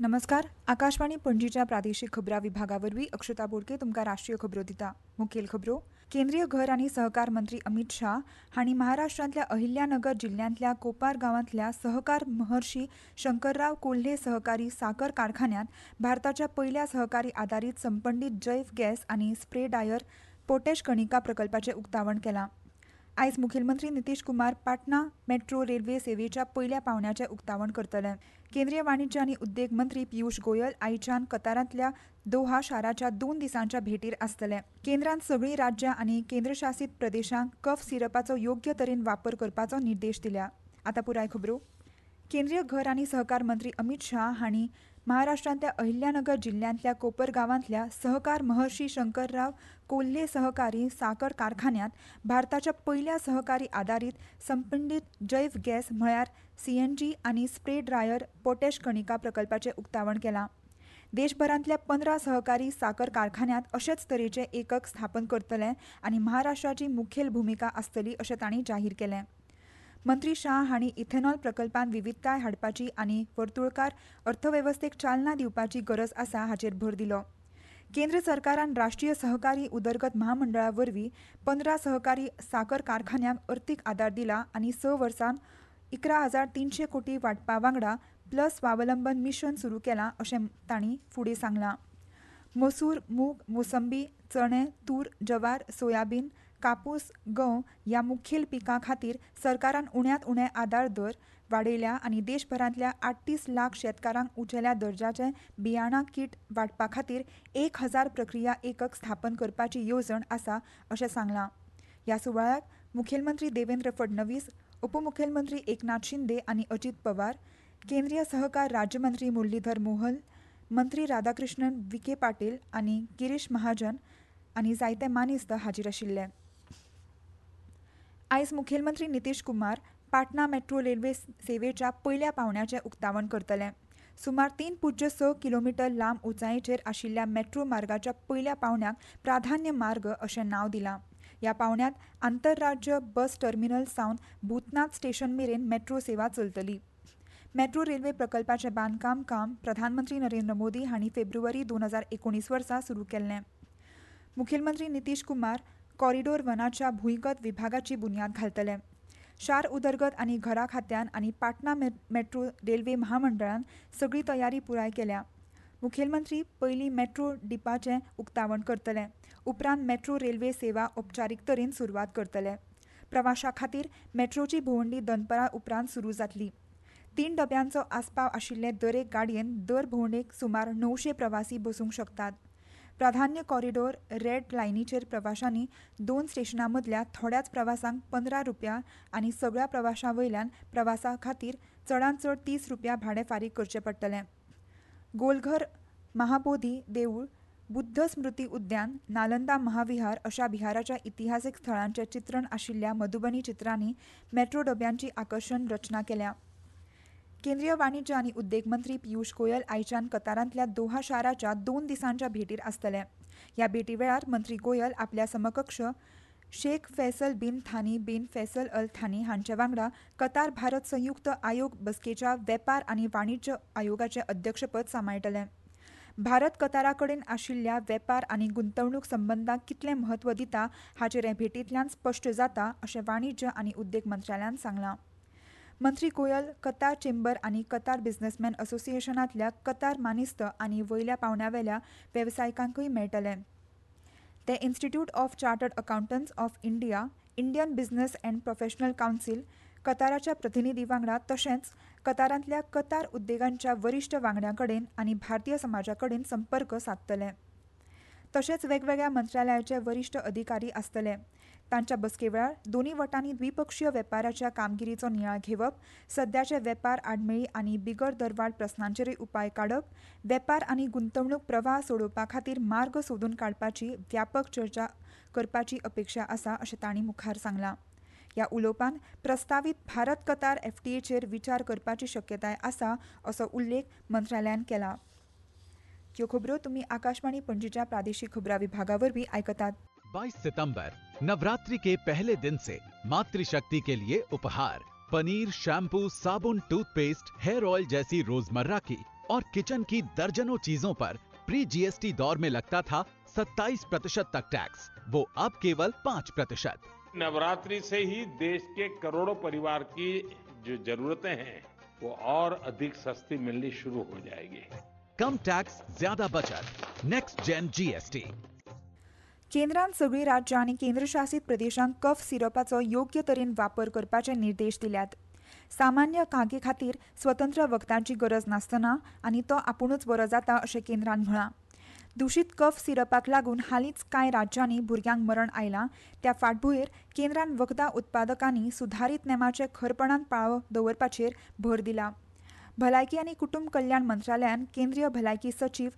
नमस्कार, आकाशवाणी पणजीच्या प्रादेशीक खबरां विभागा वरवीं अक्षता बोडके तुमकां राष्ट्रीय खबरो दिता. मुखेल खबरो. केंद्रीय घर आनी सहकार मंत्री अमित शाह हांणी महाराष्ट्रांतल्या अहिल्यानगर जिल्ल्यांतल्या कोपार गांवांतल्या सहकार महर्षी शंकरराव कोल्हे सहकारी साकर कारखान्यांत भारताच्या पयल्या सहकारी आदारीत संपंडीत जैव गॅस आनी स्प्रे डायर पोटॅश कणिका प्रकल्पाचें उक्तावण केलां. आयज मुखेलमंत्री नितीश कुमार पाटणा मेट्रो रेल्वे सेवेच्या पयल्या पावण्याचें उक्तावण करतले. केंद्रीय वाणिज्य आनी उद्देग मंत्री पियुष गोयल आयच्यान कतारांतल्या दोहा शाराच्या 2 दिसांच्या भेटीर आसतले. केंद्रान सगळीं राज्यां आनी केंद्रशासीत प्रदेशांक कफ सिरपाचो योग्य तरेन वापर करपाचो निर्देश दिल्या. आतां पुराय खबरो. केंद्रीय घर आनी सहकार मंत्री अमित शाह हांणी महाराष्ट्रांतल्या अहिल्यानगर जिल्ल्यांतल्या कोपर गांवांतल्या सहकार महर्षी शंकरराव कोल्हे सहकारी साकर कारखान्यांत भारताच्या पयल्या सहकारी आदारीत संपंडीत जैव गॅस म्हळ्यार सीएनजी आनी स्प्रे ड्रायर पोटॅश कणिका प्रकल्पाचें उक्तावण केलां. देशभरांतल्या 15 सहकारी साकर कारखान्यांत अशेच तरेचे एकक स्थापन करतले आनी महाराष्ट्राची मुखेल भुमिका आसतली अशें तांणी जाहीर केलें. मंत्री शाह हांणी इथेनॉल प्रकल्पांत विविधताय हाडपाची आनी वर्तुळकार अर्थवेवस्थेक चालना दिवपाची गरज आसा हाचेर भर दिलो. केंद्र सरकारान राष्ट्रीय सहकारी उदरगत महामंडळा वरवीं 15 सहकारी साकर कारखान्यांक अर्थीक आदार दिला आनी 6 वर्सांत 11,300 कोटी वांटपा वांगडा प्लस स्वावलंबन मिशन सुरू केलां अशें तांणी फुडें सांगलां. मसूर, मूग, मोसंबी, चणे, तूर, जवार, सोयाबीन, कापूस, गंव ह्या मुखेल पिकां खातीर सरकारान उण्यांत उणे आदार दर वाडयल्या आनी देशभरांतल्या 38 लाख शेतकारांक उंचेल्या दर्जाचे बियाणां कीट वांटपा खातीर 1000 प्रक्रिया एकक स्थापन करपाची येवजण आसा अशें सांगलां. ह्या सुवाळ्याक मुखेलमंत्री देवेंद्र फडणवीस, उपमुखेलमंत्री एकनाथ शिंदे आनी अजित पवार, केंद्रीय सहकार राज्यमंत्री मुरलीधर मोहन, मंत्री राधाकृष्णन विखे पाटील आनी गिरीश महाजन आनी जायते मानेस्त हाजीर आशिल्ले. आयज मुखेलमंत्री नितीश कुमार पाटणा मेट्रो रेल्वे सेवेच्या पयल्या पावण्याचें उक्तावण करतले. सुमार 3.6 किलोमिटर लांब उंचायेचेर आशिल्ल्या मेट्रो मार्गाच्या पयल्या पावण्याक प्राधान्य मार्ग अशें नांव दिलां. ह्या पावण्यांत आंतरराज्य बस टर्मिनल सावन भूतनाथ स्टेशन मेरेन मेट्रो सेवा चलतली. मेट्रो रेल्वे प्रकल्पाचें बांदकाम काम प्रधानमंत्री नरेंद्र मोदी हांणी फेब्रुवारी 2019 वर्सा सुरू केल्लें. मुखेलमंत्री नितीश कुमार कॉरिडोर वनाच्या भूंयगत विभागाची बुन्याद घालतले. शार उदरगत आनी घरा खात्यान आनी पाटणा मेट्रो रेल्वे महामंडळान सगळी तयारी पुराय केल्या. मुखेलमंत्री पयलीं मेट्रो डिपाचें उक्तावण करतले, उपरांत मेट्रो रेल्वे सेवा औपचारीक तरेन सुरवात करतले. प्रवाशां खातीर मेट्रोची भोंवडी दनपरां उपरांत सुरू जातली. 3 डब्यांचो आस्पाव आशिल्ले दरेक गाडयेन दर भोंवडेक सुमार 900 प्रवासी बसूंक शकतात. प्राधान्य कॉरिडोर रेड लायनीचेर प्रवाशांनी 2 स्टेशनां मदल्या थोड्याच प्रवासांक 15 रुपया आनी सगळ्या प्रवाशां वयल्यान प्रवासा खातीर चडांत चड 30 रुपया भाडें फारीक करचें पडटलें. गोलघर, महाबोधी देवूळ, बुद्ध स्मृती उद्यान, नालंदा महाविहार अशा बिहाराच्या इतिहासीक थळांचें चित्रण आशिल्ल्या मधुबनी चित्रांनी मेट्रो डब्यांची आकर्शण रचना केल्या. केंद्रीय वाणिज्य आनी उद्देग मंत्री पियुष गोयल आयच्यान कतारांतल्या दोहा शाराच्या 2 दिसांच्या भेटीर आसतले. ह्या भेटी वेळार मंत्री गोयल आपल्या समकक्ष Sheikh Faisal bin Thani bin Faisal Al Thani हांचे वांगडा कतार भारत संयुक्त आयोग बसकेच्या वेपार आनी वाणिज्य आयोगाचें अध्यक्षपद सांबाळटले. भारत कतारा कडेन आशिल्ल्या वेपार आनी गुंतवणूक संबंदांक कितलें म्हत्व दिता हाचेर हे भेटींतल्यान स्पश्ट जाता अशें वाणिज्य आनी उद्देग मंत्रालयान सांगलां. मंत्री गोयल कतार चेंबर आनी कतार बिझनेसमॅन असोसिएशनांतल्या कतार मानेस्त आनी वयल्या पावंड्यावेल्या वेवसायिकांकूय मेळटले. ते Institute of Chartered Accountants of India, Indian Business and Professional Council, कताराच्या प्रतिनिधी वांगडा तशेंच कतारांतल्या कतार उद्देगांच्या वरिश्ठ वांगड्यां कडेन आनी भारतीय समाजा कडेन संपर्क सादतले. तशेंच वेगवेगळ्या मंत्रालयाचे वरिश्ठ अधिकारी आसतले. तांच्या बसके वेळार दोनूय वटांनी द्विपक्षीय वेपाराच्या कामगिरीचो नियाळ घेवप, सद्याचे वेपार आडमेळी आनी बिगर दरवाड प्रस्नांचेरूय उपाय काडप, वेपार आनी गुंतवणूक प्रवाह सोडोवपा खातीर मार्ग सोदून काडपाची व्यापक चर्चा करपाची अपेक्षा आसा अशें तांणी मुखार सांगलां. ह्या उलोवपान प्रस्तावीत भारत कतार एफटीएचेर विचार करपाची शक्यताय आसा असो उल्लेख मंत्रालयान केला. ह्यो खबरो तुमी आकाशवाणी पणजीच्या प्रादेशीक खबरां विभागा वरवीं आयकतात. 22 सितंबर नवरात्रि के पहले दिन से मातृशक्ति के लिए उपहार, पनीर, शैम्पू, साबुन, टूथपेस्ट, हेयर ऑयल जैसी रोजमर्रा की और किचन की दर्जनों चीजों पर प्री जीएसटी दौर में लगता था 27% तक टैक्स, वो अब केवल 5%। नवरात्रि से ही देश के करोड़ों परिवार की जो जरूरतें हैं वो और अधिक सस्ती मिलनी शुरू हो जाएगी। कम टैक्स, ज्यादा बचत। Next gen GST. केंद्रान सगळीं राज्यां आनी केंद्रशासीत प्रदेशांक कफ सिरपाचो योग्य तरेन वापर करपाचे निर्देश दिल्यात। सामान्य खांकी खातीर स्वतंत्र वखदांची गरज नासतना आनी तो आपुणूच बरो जाता अशें केंद्रान म्हळां। दुशीत कफ सिरपाक लागून हालींच कांय राज्यांनी भुरग्यांक मरण आयलां त्या फाटभुंयेर केंद्रान वखदां उत्पादकांनी सुधारीत नेमाचे खरपणान पाळो दवरपाचेर भर दिला। भलायकी आनी कुटुंब कल्याण मंत्रालयान केंद्रीय भलायकी सचीव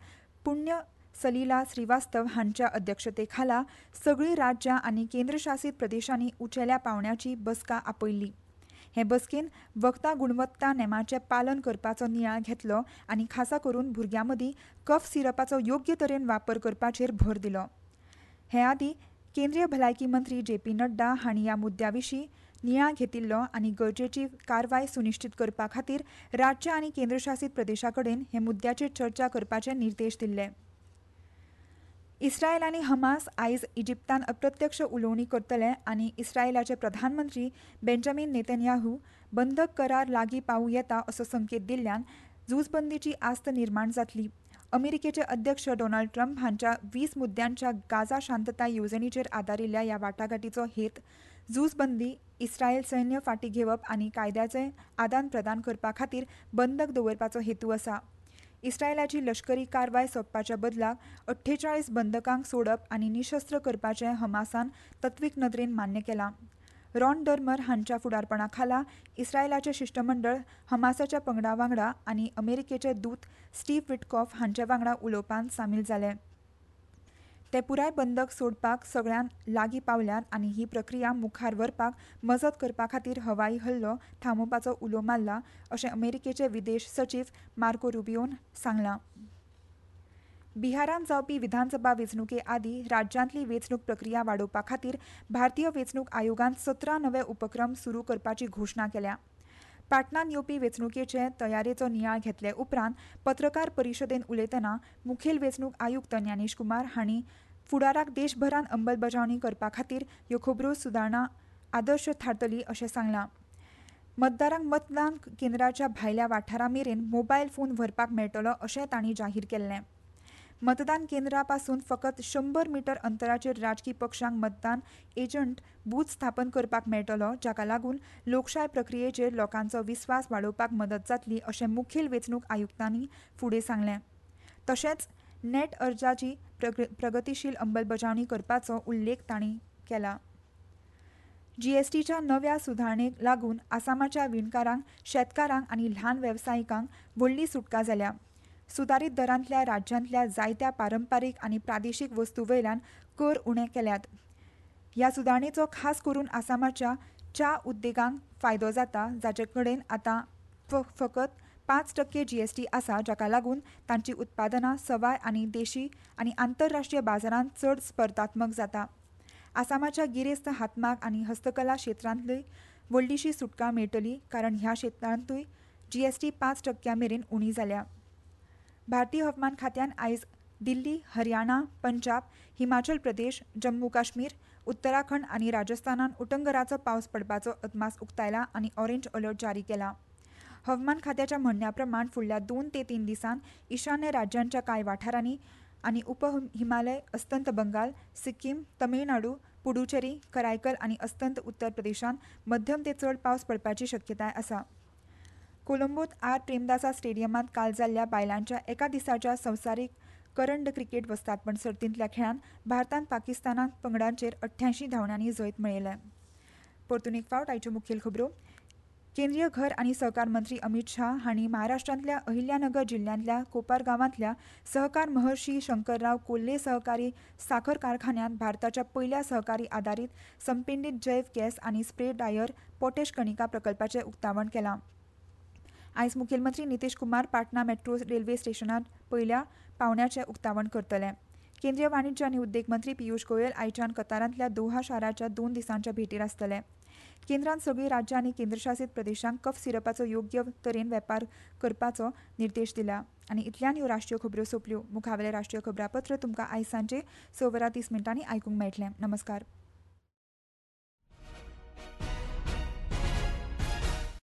पुण्य सलीला श्रीवास्तव हांच्या अध्यक्षतेखाला सगळीं राज्यां आनी केंद्रशासीत प्रदेशांनी उंचेल्या पावंड्याची बसका आपयल्ली। हे बसकेन वखदां गुणवत्ता नेमाचें पालन करपाचो नियाळ घेतलो आनी खासा करून भुरग्यां मदीं कफ सिरपाचो योग्य तरेन वापर करपाचेर भर दिलो। हे आदीं केंद्रीय भलायकी मंत्री जे पी नड्डा हांणी ह्या मुद्द्या विशीं नियाळ घेतिल्लो आनी गरजेची कारवाय सुनिश्चीत करपा खातीर राज्यां आनी केंद्रशासीत प्रदेशां कडेन हे मुद्द्याचेर चर्चा करपाचे निर्देश दिल्ले। इस्रायल आनी हमास आयज इजिप्तान अप्रत्यक्ष उलोवणी करतले आनी इस्रायलाचे प्रधानमंत्री बेंजामीन नेतन्याहू बंधक करार लागीं पावूं येता असो संकेत दिल्ल्यान झुजबंदीची आस्त निर्माण जातली। अमेरिकेचे अध्यक्ष डोनाल्ड ट्रम्प हांच्या 20 मुद्द्यांच्या गाझा शांतताय येवजणेचेर आदारिल्ल्या ह्या वाटाघाटीचो हेत झुजबंदी, इस्रायल सैन्य फाटीं घेवप आनी कायद्याचें आदान प्रदान करपा खातीर बंधक दवरपाचो हेतू आसा। इस्रायलाची लश्करी कारवाय सोंपपाच्या बदलाक 48 बंधकांक सोडप आनी निशस्त्र करपाचें हमासान तत्वीक नदरेन मान्य केलां। रॉन डर्मर हांच्या फुडारपणा खाला इस्रायलाचें शिश्टमंडळ हमासाच्या पंगडा वांगडा आनी अमेरिकेचे दूत स्टीव विटकॉफ हांचे वांगडा उलोवपांत सामील जाले। ते पुराय बंधक सोडपाक सगळ्यांत लागीं पावल्यात आनी ही प्रक्रिया मुखार व्हरपाक मजत करपा खातीर हवाई हल्लो थांबोवपाचो उलो मारला अशें अमेरिकेचे विदेश सचीव मार्को रुबियोन सांगलां। बिहारांत जावपी विधानसभा वेंचणुके आदीं राज्यांतली वेंचणूक प्रक्रिया वाडोवपा खातीर भारतीय वेंचणूक आयोगान 17 नवे उपक्रम सुरू करपाची घोशणा केल्या। पाटणांत येवपी वेंचणुकेचे तयारेचो नियाळ घेतले उपरांत पत्रकार परिशदेंत उलयतना मुखेल वेंचणूक आयुक्त ज्ञानेश कुमार हांणी फुडाराक देशभरांत अंमलबजावणी करपा खातीर ह्यो खबरो सुदारणा आदर्श थारतली अशें सांगलां। मतदारांक मतदान केंद्राच्या भायल्या वाठारा मेरेन मोबायल फोन व्हरपाक मेळटलो अशें तांणी जाहीर केल्लें। मतदान केंद्रा पासून फकत 100 मीटर अंतराचेर राजकी पक्षांक मतदान एजंट बूथ स्थापन करपाक मेळटलो, जाका लागून लोकशाय प्रक्रियेचेर लोकांचो विस्वास वाडोवपाक मदत जातली अशें मुखेल वेंचणूक आयुक्तांनी फुडें सांगलें। तशेंच नेट अर्जाची प्रगतीशील अंमलबजावणी करपाचो उल्लेख तांणी केला। जीएसटीच्या नव्या सुधारणेक लागून आसामाच्या विणकारांक, शेतकारांक आनी ल्हान वेवसायिकांक व्हडली सुटका जाल्या। सुदारीत दरांतल्या राज्यांतल्या जायत्या पारंपारीक आनी प्रादेशीक वस्तू वयल्यान कर उणे केल्यात। ह्या सुदारणेचो खास करून आसामाच्या च्या उद्देगांक फायदो जाता, जाचे कडेन आतां फकत 5% जीएसटी आसा, जाका लागून तांची उत्पादनां सवाय आनी देशी आनी आंतरराष्ट्रीय बाजारांत चड स्पर्धात्मक जाता। आसामाच्या गिरेस्त हातमाग आनी हस्तकला क्षेत्रांतली व्हडलीशी सुटका मेळटली, कारण ह्या क्षेत्रांतूय जीएसटी 5% मेरेन उणी जाल्या। भारतीय हवामान खात्यान आयज दिल्ली, हरियाणा, पंजाब, हिमाचल प्रदेश, जम्मू काश्मीर, उत्तराखंड आनी राजस्थानान उटंगराचो पावस पडपाचो अदमास उक्तायला आनी ऑरेंज अलर्ट जारी केला। हवामान खात्याच्या म्हणण्या प्रमाण फुडल्या 2 ते 3 दिसांत ईशान्य राज्यांच्या कांय वाठारांनी आनी उप हिमालय, अस्तंत बंगाल, सिक्कीम, तमिळनाडू, पुडुचेरी, करायकल आनी अस्तंत उत्तर प्रदेशांत मध्यम ते चड पावस पडपाची शक्यताय आसा। कोलंबोत आर प्रेमदासा स्टेडियमांत काल जाल्ल्या बायलांच्या एका दिसाच्या संवसारीक करंड क्रिकेट वस्तादपण सर्तींतल्या खेळांत भारतान पाकिस्तानाक पंगडांचेर 88 धांवड्यांनी जैत मेळयलें। परतून एक फावट आयच्यो मुखेल खबरो। केंद्रीय घर आनी सहकार मंत्री अमित शाह हांणी महाराष्ट्रांतल्या अहिल्यानगर जिल्ल्यांतल्या कोपार गांवांतल्या सहकार महर्षी शंकरराव कोल्हे सहकारी साखर कारखान्यांत भारताच्या पयल्या सहकारी आदारीत संपिंडीत जैव गॅस आनी स्प्रे डायर पोटॅश कणिका प्रकल्पाचें उक्तावण केलां। आयज मुखेलमंत्री नितीश कुमार पाटणा मेट्रो रेल्वे स्टेशनार पयल्या पावंड्याचें उक्तावण करतले। केंद्रीय वाणिज्य आनी उद्देग मंत्री पियूष गोयल आयच्यान कतारांतल्या दोहा शाराच्या 2 दिसांच्या भेटीर आसतले। केंद्रान सगळीं राज्यां आनी केंद्रशासीत प्रदेशांक कफ सिरपाचो योग्य तरेन वेपार करपाचो निर्देश दिला. आनी इतल्यान ह्यो राष्ट्रीय खबऱ्यो सोंपल्यो. मुखावेलें राष्ट्रीय खबरापत्र तुमकां आयज सांजे 6 वरां 30 मिनटांनी आयकूंक मेळटलें. नमस्कार.